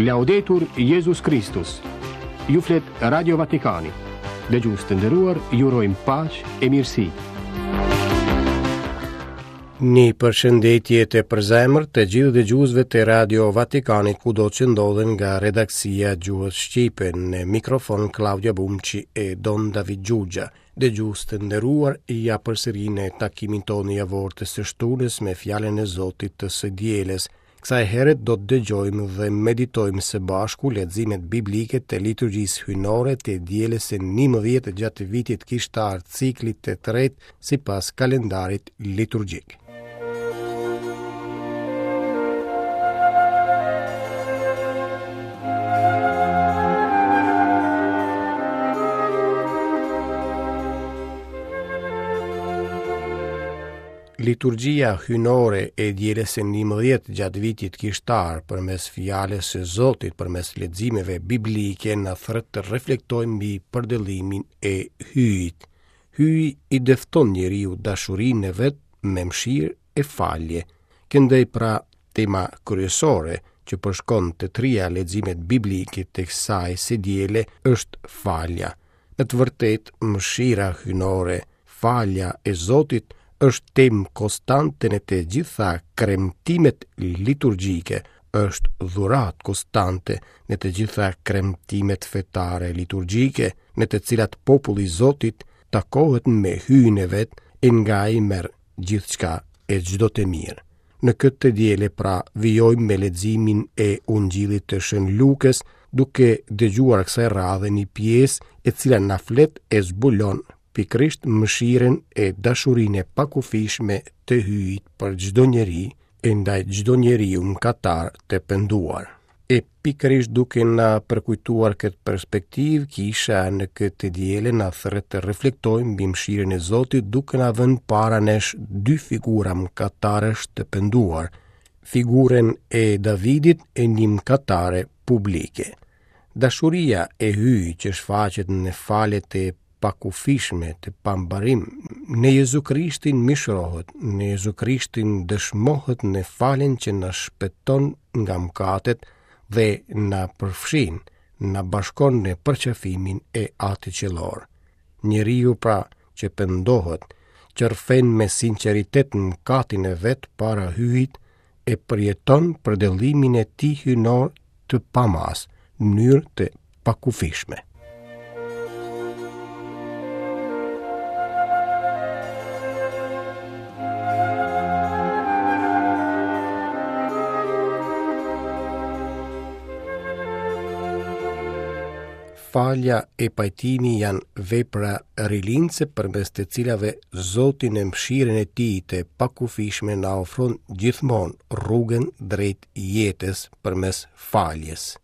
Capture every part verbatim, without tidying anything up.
Laudetur Jezus Kristus. Ju flet Radio Vatikani. Dëgjues të nderuar, ju urojmë paqe e mirësi. Një përshëndetje të përzemërt të gjithë dëgjuesve të Radio Vatikanit kudo që ndodhen nga redaksia e gjuhës shqipe në mikrofon Klaudia Bumçi e Don David Xhuxha. Dëgjues të nderuar, ja përsëri në takimin tonë javor të së shtunës me fjalën e Zotit të së dielës. Kësaj here do të dëgjojmë dhe meditojmë së bashku leximet biblike të liturgjisë hyjnore të dielës së njëmbëdhjetë gjatë vitit kishtar ciklit të tretë sipas kalendarit liturgjik. Liturgjia hyjnore e dielës së njëmbëdhjetë gjatë vitit kishtar përmes fjalës së Zotit, përmes leximeve biblike na thërret të reflektojmë mbi përdëllimin e Hyjit. Hyji i dëfton njeriut dashurinë e vet me mëshirë e falje. Këndej pra tema kryesore që përshkon të tria leximet biblike të kësaj së diele është falja. Në të vërtetë, mëshira hyjnore, falja e Zotit është temë konstante në të gjitha kremtimet liturgjike, është dhuratë konstante në të gjitha kremtimet fetare liturgjike, në të cilat populli i Zotit takohet me Hyjin e vet e nga ai merr gjithçka e çdo të mirë. Në këtë të diele pra vijojmë me leximin e Ungjillit të Shën Lukës, duke dëgjuar kësaj radhe një pjesë e cila na flet e zbulon pikërisht mëshirën e dashurinë e pakufishme të Hyjit për çdo njeri e ndaj çdo njeriu mëkatar të penduar. E pikërisht duke na përkujtuar këtë perspektivë, kisha në këtë të diele na thërret të reflektojmë mbi mëshirën e Zotit duke na vënë para nesh dy figura mëkatarësh të penduar, figurën e Davidit e një mëkatare publike. Dashuria e Hyjit që shfaqet në faljet e pakufishme të pambarim, në Jezu Krishtin mishrohet, në Jezu Krishtin dëshmohet në faljen që na shpëton nga mëkatet dhe na përfshin, na bashkon në përqafimin e Atit Qiellor. Njeriu pra që pendohet, që rrëfen me sinqeritet mëkatin e vet para Hyjit, e përjeton përdëllimin e tij hyjnor të pamas, në mënyrë të pakufishme. Falja e pajtimi janë vepra rilindëse përmes të cilave Zoti në mëshirën e tij të pakufishme na ofron gjithmonë rrugën drejt jetës përmes faljes.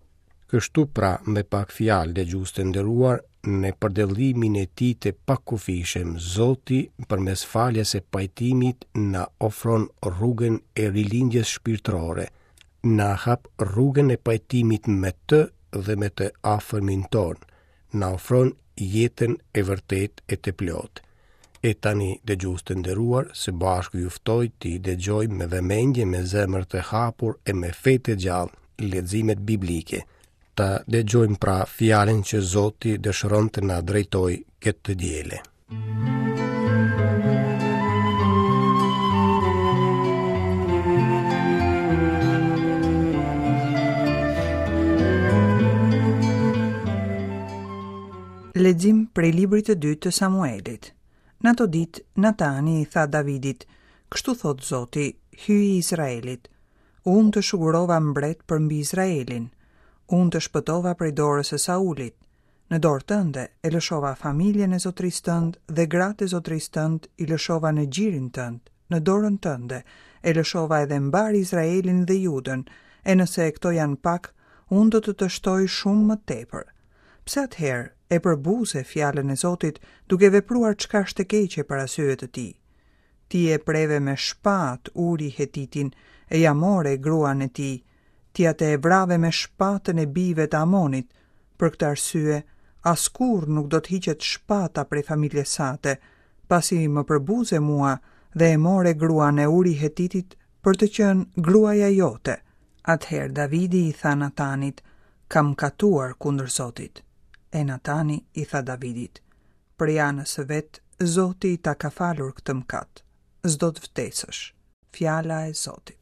Kështu pra, me pak fjalë dëgjues të nderuar, në përdëllimin e tij të pakufishëm, Zoti përmes faljes e pajtimit na ofron rrugën e rilindjes shpirtërore, na hap rrugën e pajtimit me të dhe me të afërmin tonë, na ofron jetën e vërtetë e të plotë. E tani, dëgjues të nderuar, së bashku ju ftoj t'i dëgjojmë me vëmendje, me zemër të hapur e me fe të gjallë leximet biblike. Ta dëgjojmë pra fjalën që Zoti dëshiron të na drejtojë këtë të diele. Lexim prej librit të dytë të Samuelit. Në ato ditë, Natani i tha Davidit, kështu thot Zoti, Hyji i Izraelit, unë të shugurova mbret përmbi Izraelin, unë të shpëtova prej dorës së Saulit, në dorë tënde e lëshova familjen e zotërisë tënd dhe gratë e zotërisë tënd i lëshova në gjirin tënd, në dorën tënde e lëshova edhe mbar Izraelin dhe Judën, e nëse këto janë pak, unë do të të shtoj shumë më tepër. Pse atëherë e përbuze fjalën e Zotit duke vepruar çka është e keqe para syve të tij? Ti e preve me shpatë Uri Hetitin e ja more gruan e tij, ti atë e vrave me shpatën e bijve të Amonit. Për këtë arsye, askurrë nuk do të hiqet shpata prej familjes sate, pasi më përbuze mua dhe e more gruan e Uri Hetitit për të qenë gruaja jote. Atëherë Davidi i tha Natanit, Kam mëkatuar kundër Zotit. E Natani i tha Davidit: Prej anës së vet, Zoti ta ka falur këtë mëkat. S'do të vdesësh. Fjala e Zotit.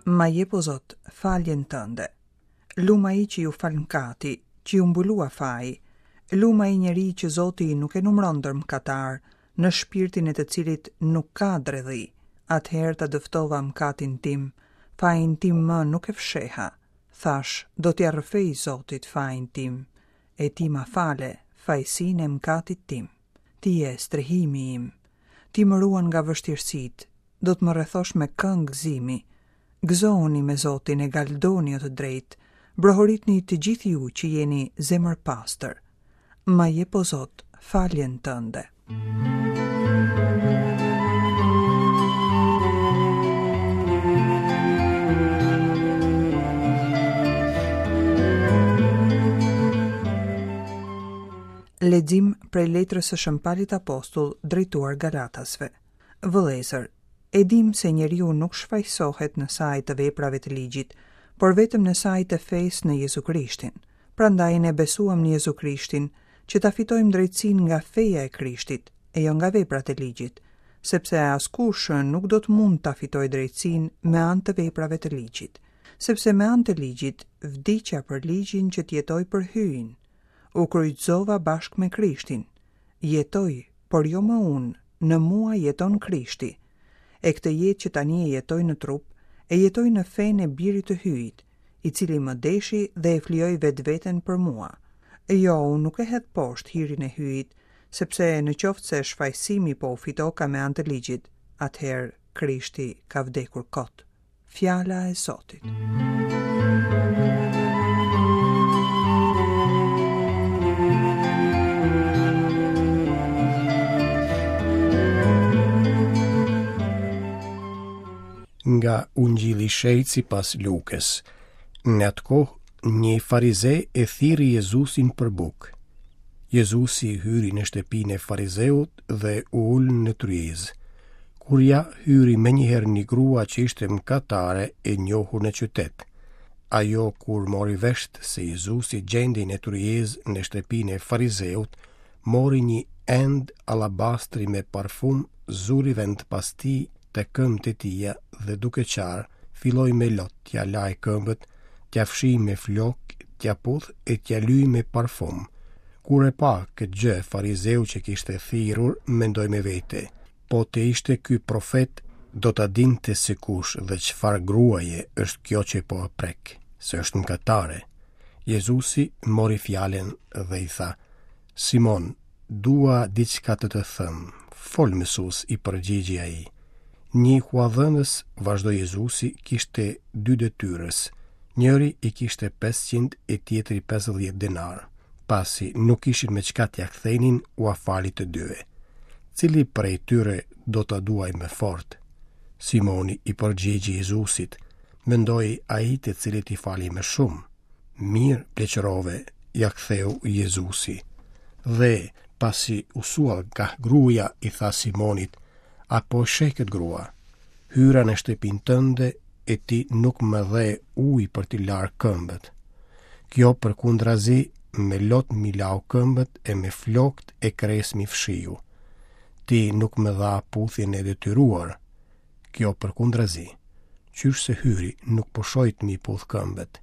Ma jep o Zot faljen tënde. Lum ai që ju fal mëkati, që ju mbulua faji. Lum ai njeri që Zoti nuk e numëron ndër mëkatar, në shpirtin e të cilit nuk ka dredhi. Atëherë ta dëftova mëkatin tim, fajin tim më nuk e fsheha. Thash, do t'ia rrëfej Zotit fajin tim, e ti ma fale fajsinë e mëkatit tim. Ti je strehimi im, ti më ruan nga vështirësitë, do të më rrethosh me këngë gëzimi. Gëzohuni me Zotin e galdoni o të drejtë, brohoritni të gjithë ju që jeni zemër pastër. Ma jep o Zot faljen tënde. Lexim prej letrës së Shën Palit Apostull drejtuar Galatasve. Vëllezër, e dim se njeriu nuk shfajsohet në saj të veprave të ligjit, por vetëm në saj të fesë në Jezu Krishtin. Prandaj ne besuam në Jezu Krishtin, që ta fitojmë drejtësinë nga feja e Krishtit, e jo nga veprat e ligjit, sepse askush nuk do të mund ta fitojë drejtësinë me anë të veprave të ligjit, sepse me anë të ligjit vdiqa për ligjin që të jetoj për Hyjin. U kryqëzova bashkë me Krishtin. Jetoj, por jo më unë, në mua jeton Krishti. E këtë jetë që tani e jetoj në trup, e jetoj në fenë e birit të Hyjit, i cili më deshi dhe e flijoi vetveten për mua. Jo, unë nuk e hedh poshtë hirin e Hyjit, sepse në qoftë se shfajsimi po u fitoka me anë të ligjit, atëherë Krishti ka vdekur kot. Fjala e Zotit. Nga Ungjilli i Shenjtë sipas Lukës. Në atë kohë, një farize e thirri Jezusin për bukë. Jezusi hyri në shtëpinë e farizeut dhe u ul në tryezë. Kur ja hyri menjëherë një grua që ishte mëkatare e njohur në qytet. Ajo kur mori vesht se Jezusi gjendej në tryezë në shtëpinë e farizeut, mori një end alabastri me parfum, zuri vend pas tij të këmbët e tija dhe duke qarë, filloi me lot t'ja laj këmbët, t'ja fshi me flok, t'ja puth e t'ja lyj me parfum. Kur e pa këtë gjë, farizeu që kishte thirrur, mendoi me vete: po të ishte ky profet, do ta dinte se kush dhe çfarë gruaje është kjo që po e prek, se është mëkatare. Jezusi mori fjalën dhe i tha: Simon, dua diçka të të them. Fol, mësues, i përgjigji ai. Një huadhënës, vazhdoi Jezusi, kishte dy detyrës. Njëri i kishte pesëqind e tjetri pesëdhjetë denar. Pasi nuk ishin me çka t'ia kthenin, ua fali të dyve. Cili prej tyre do ta duaj më fort? Simoni i përgjigji Jezusit: mendoi ai të cilit i fali më shumë. Mirë pleqërove, ja ktheu Jezusi. Dhe pasi u suall nga gruaja, i tha Simonit: apo sheh këtë grua? Hyra në shtëpinë tënde e ti nuk më dhe ujë për t'i larë këmbët. Kjo përkundrazi me lot mi lau këmbët e me flokt e kres mi fshiu. Ti nuk më dha puthjen e detyruar. Kjo përkundrazi, qysh se hyri nuk pushoi të mi puth këmbët.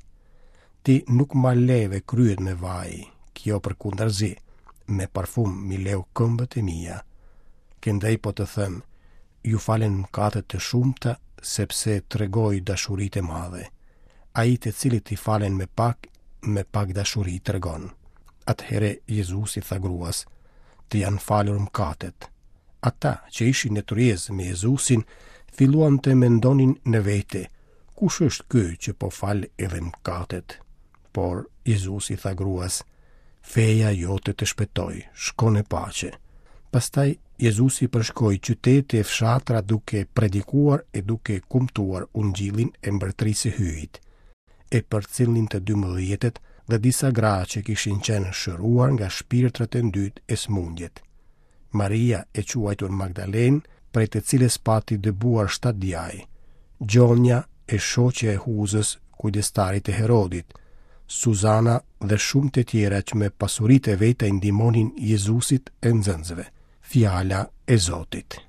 Ti nuk ma leve kryet me vaj. Kjo përkundrazi, me parfum mi leu këmbët e mia. Këndej po të them, ju falen mëkatet të shumta, sepse tregoi dashuritë e madhe. Ai të cilit i falen me pak, me pak dashuri tregon. Atëherë Jezusi tha gruas: të janë falur mëkatet. Ata që ishin në tryezë me Jezusin filluan të mendonin në vete: kush është ky që po fal edhe mëkatet? Por Jezusi tha gruas: feja jote të shpëtoi, shko në paqe. Pastaj Jezusi përshkoi qytete e fshatra duke predikuar e duke kumtuar ungjillin e mbretërisë së Hyjit. E përcillnin të dymbëdhjetët dhe disa gra që kishin qenë shëruar nga shpirtrat e ndytë e sëmundjet. Maria e quajtur Magdalenë, prej të cilës pati dëbuar shtatë djaj, Gjonja e shoqja e Huzës, kujdestarit të Herodit, Suzana dhe shumë të tjera që me pasuritë e veta i ndihmonin Jezusit e nxënësve. Fjala e Zotit.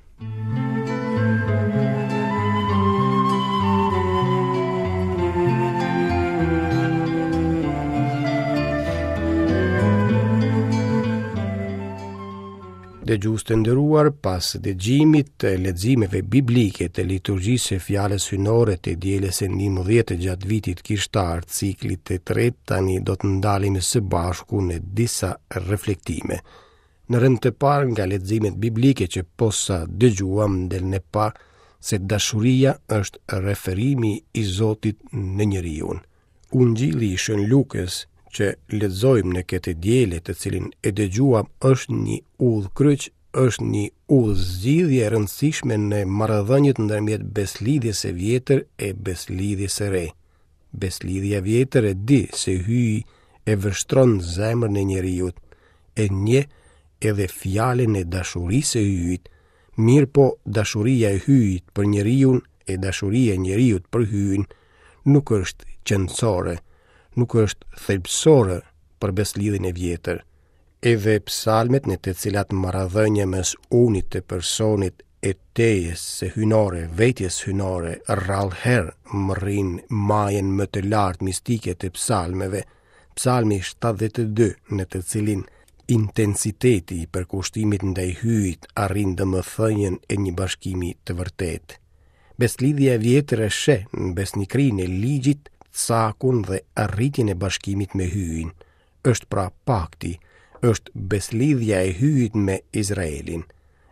Dëgjues të nderuar, pas dëgjimit të leximeve biblike të liturgjisë së fjalës hyjnore të dielës së njëmbëdhjetë gjatë vitit kishtar, ciklit të tretë, tani do të ndalemi së bashku në disa reflektime. Në rend të parë nga leximet biblike që posa dëgjuam del në pah se dashuria është referimi i Zotit në njeriun. Ungjilli i Shën Lukës që lexojmë në këtë diele të cilin e dëgjuam është një udhëkryq, është një udhëzgjidhje e rëndësishme në marrëdhëniet ndërmjet beslidhjes së vjetër e beslidhjes së re. Beslidhja e vjetër e di se Hyji e vështron zemrën e njeriut, e njeh edhe fjalën e dashurisë së Hyjit, mirëpo dashuria e Hyjit për njeriun e dashuria e njeriut për Hyjin nuk është qenësore, nuk është thelbësore për beslidhjen e vjetër. Edhe psalmet në të cilat marrëdhënia mes unit të personit e tejes së hyjnore, vetjes hyjnore, rrallëherë mbërrin majën më të lartë mistike të psalmeve, psalmi shtatëdhjetë e dy, në të cilin intensiteti i përkushtimit ndaj Hyjit arrin domethënien e një bashkimi të vërtetë. Beslidhja e vjetër e sheh në besnikërinë e ligjit, cakun dhe arritjen e bashkimit me Hyjin. Është pra pakti, është beslidhja e Hyjit me Izraelin.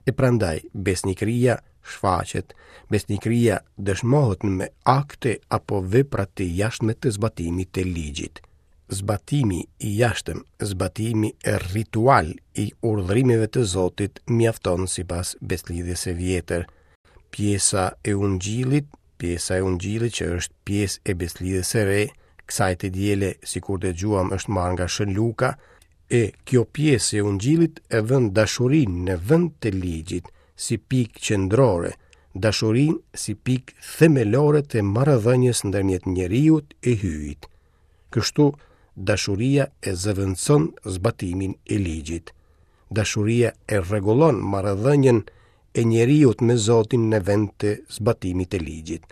E prandaj besnikëria shfaqet, besnikëria dëshmohet me akte apo vepra të jashtme të zbatimit të ligjit. Zbatimi i jashtëm, zbatimi ritual i urdhërimeve të Zotit mjafton sipas beslidhjes së vjetër. Pjesa e ungjillit, pjesa e ungjillit që është pjesë e beslidhjes së re, kësaj të diele, sikur dëgjuam, është marrë nga Shën Luka, e kjo pjesë e ungjillit e vën dashurinë në vend të ligjit, si pikë qendrore, dashurinë si pikë themelore të marrëdhënies ndërmjet njeriut e Hyjit. Kështu, dashuria e zëvendëson zbatimin e ligjit. Dashuria e rregullon marrëdhënien e njeriut me Zotin në vend të zbatimit të ligjit.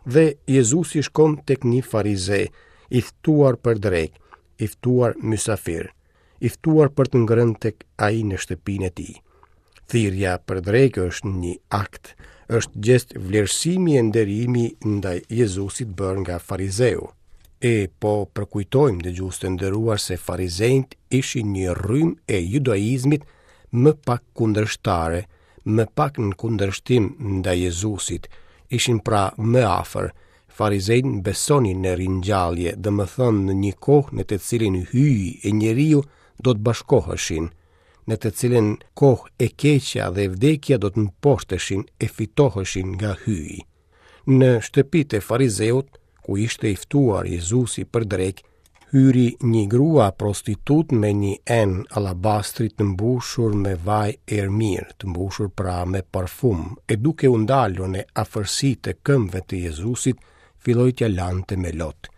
Dhe Jezusi shkon tek një farize, i ftuar për drekë, i ftuar mysafir, i ftuar për të ngrënë tek ai në shtëpinë e tij. Thirrja për drekë është një akt, është gjest vlerësimi e nderimi ndaj Jezusit bërë nga farizeu. E po përkujtojmë dëgjues të nderuar se farizenjt ishin një rrymë e judaizmit më pak kundërshtare, më pak në kundërshtim ndaj Jezusit, ishin pra më afër. Farizenjt besonin në ringjallje, domethënë në një kohë në të cilin Hyji e njeriu do të bashkoheshin, në të cilën kohë e keqja dhe vdekja do të mposhteshin e fitoheshin nga Hyji. Në shtëpitë e farizeut, ku ishte i ftuar Jezusi për drekë, hyri një grua prostitut me një enë alabastri të mbushur me vaj erëmirë, të mbushur pra me parfum, e duke u ndalur në afërsi të këmbëve të Jezusit, filloi t'ia lante me lot.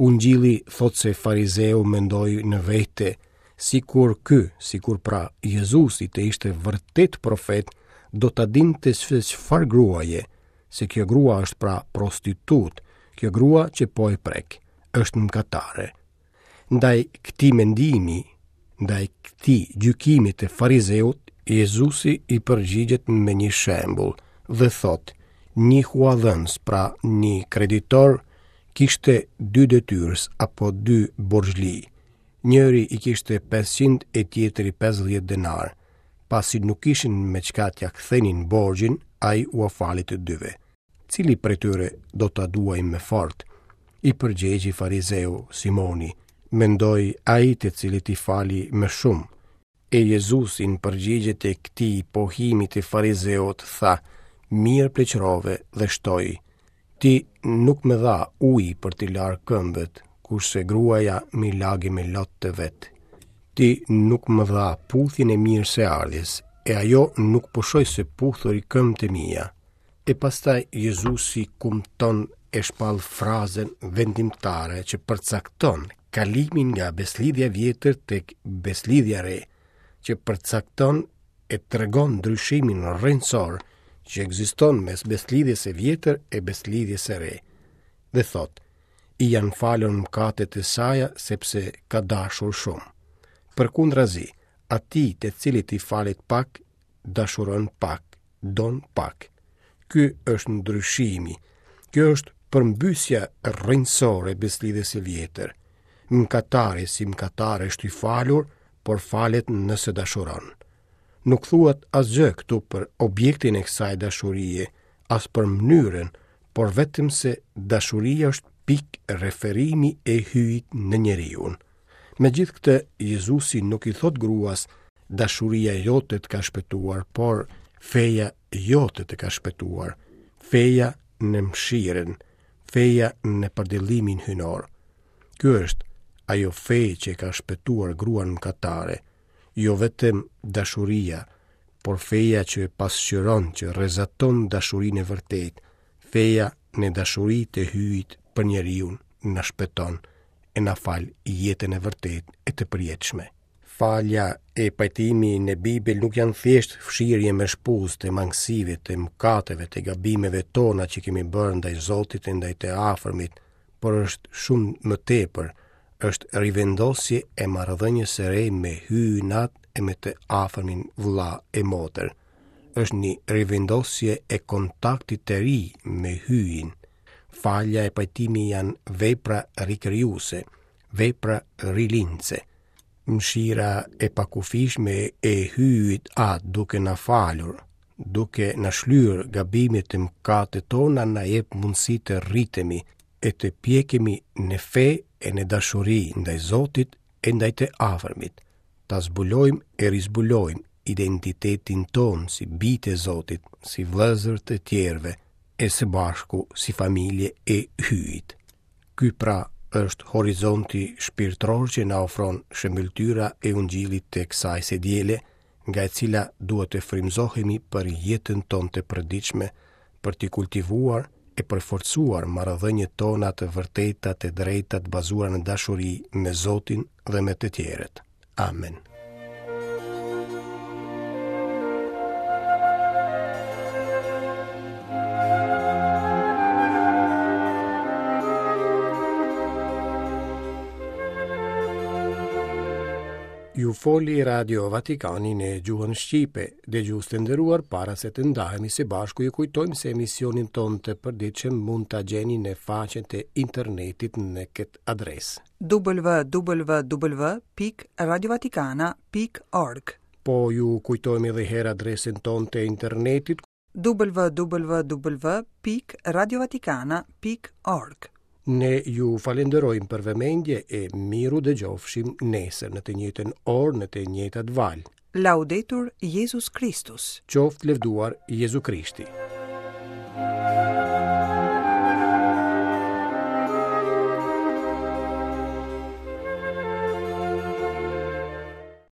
Ungjilli thotë se farizeu mendoi në vete, sikur ky, sikur pra Jezusi të ishte vërtet profet, do ta dinte se çfarë gruaje, se kjo grua është pra prostitut, kjo grua që po e prek, është mëkatare. Ndaj këtij mendimi, ndaj këtij gjykimi të farizeut, Jezusi i përgjigjet me një shembull dhe thotë, një huadhënës, pra një kreditor, kishte dy detyrës apo dy borxhli. Njëri i kishte pesëqind e tjetri pesëdhjetë denar. Pasi nuk kishin me çka t'ia kthenin borxhin, ai ua fali të dyve. Cili prej tyre do ta duaj më fort? I përgjegji farizeu Simoni, mendoi ai të cilit i fali më shumë. E Jezusi në përgjigje të këtij pohimi të farizeut tha, mirë pleqërove, dhe shtoi, ti nuk më dha ujë për t'i larë këmbët, kurse gruaja m'i lagi me lot të vet. Ti nuk më dha puthjen e mirëseardhjes, e ajo nuk pushoi së puthuri këmbët e mia. E pastaj Jezusi kumton e shpall frazën vendimtare që përcakton kalimin nga beslidhja e vjetër tek beslidhja e re, që përcakton e tregon ndryshimin rrënjësor që ekziston mes beslidhjes së vjetër e beslidhjes së re. Dhe thotë, i janë falur mëkatet e saja sepse ka dashur shumë. Përkundrazi, atij të cilit i falet pak, dashuron pak, don pak. Ky është ndryshimi. Kjo është përmbysja rrënjësore e beslidhjes së vjetër. Mëkatari si mëkatar është i falur, por falet nëse dashuron. Nuk thuhet asgjë këtu për objektin e kësaj dashurie, as për mënyrën, por vetëm se dashuria është pikë referimi e Hyjit në njeriun. Megjithë këtë, Jezusi nuk i thot gruas, dashuria jote të ka shpëtuar, por feja jote të ka shpëtuar, feja në mëshirën, feja në përdëllimin hyjnor. Ky është ajo fe që ka shpëtuar gruan mëkatare, jo vetëm dashuria, por feja që pasqyron, që rrezaton dashurinë e vërtetë, feja në dashuri të Hyjit për njeriun na shpëton e na fal jetën e vërtetë e të përjetshme. Falja e pajtimi në Bibël nuk janë thjesht fshirje me shpuzë të mangësive, të mëkateve, të gabimeve tona që kemi bërë ndaj Zotit e ndaj të afërmit, por është shumë më tepër, është rivendosje e marrëdhënies së re me Hyjin Atë e me të afërmin vëlla e motër. Është një rivendosje e kontaktit të ri me Hyjin. Falja e pajtimi janë vepra rikrijuese, vepra rilindëse. Mëshira e pakufishme e Hyjit Atë duke na falur, duke na shlyer gabimet e mëkatet tona na jep mundësi të rritemi e të pjekemi në fe e në dashuri ndaj Zotit e ndaj të afërmit, ta zbulojmë e rizbulojmë identitetin tonë si bijtë e Zotit, si vëllezër të tjerëve, e së bashku si familje e Hyjit. Ky pra është horizonti shpirtëror që na ofron shëmbëlltyra e Ungjillit të kësaj së diele, nga e cila duhet të frymëzohemi për jetën tonë të përditshme, për të kultivuar e përforcuar marrëdhëniet tona të vërteta, të drejta, të bazuara në dashuri me Zotin dhe me të tjerët. Amen. Ju foli Radio Vatikani në gjuhën shqipe. Dëgjues të nderuar, para se të ndahemi së bashku, ju kujtojmë se emisionin tonë të përditshëm mund ta gjeni në faqen e internetit në këtë adresë: w w w pikë radiovatikana pikë org. Po ju kujtojmë edhe herë adresën tonë të internetit: w w w pikë radiovatikana pikë org. Ne ju falenderojmë për vëmendje e miru dëgjofshim nesër në të njëjtën orë, në të njëjtat valë. Laudetur Jezus Kristus. Qoftë lëvduar Jezu Krishti.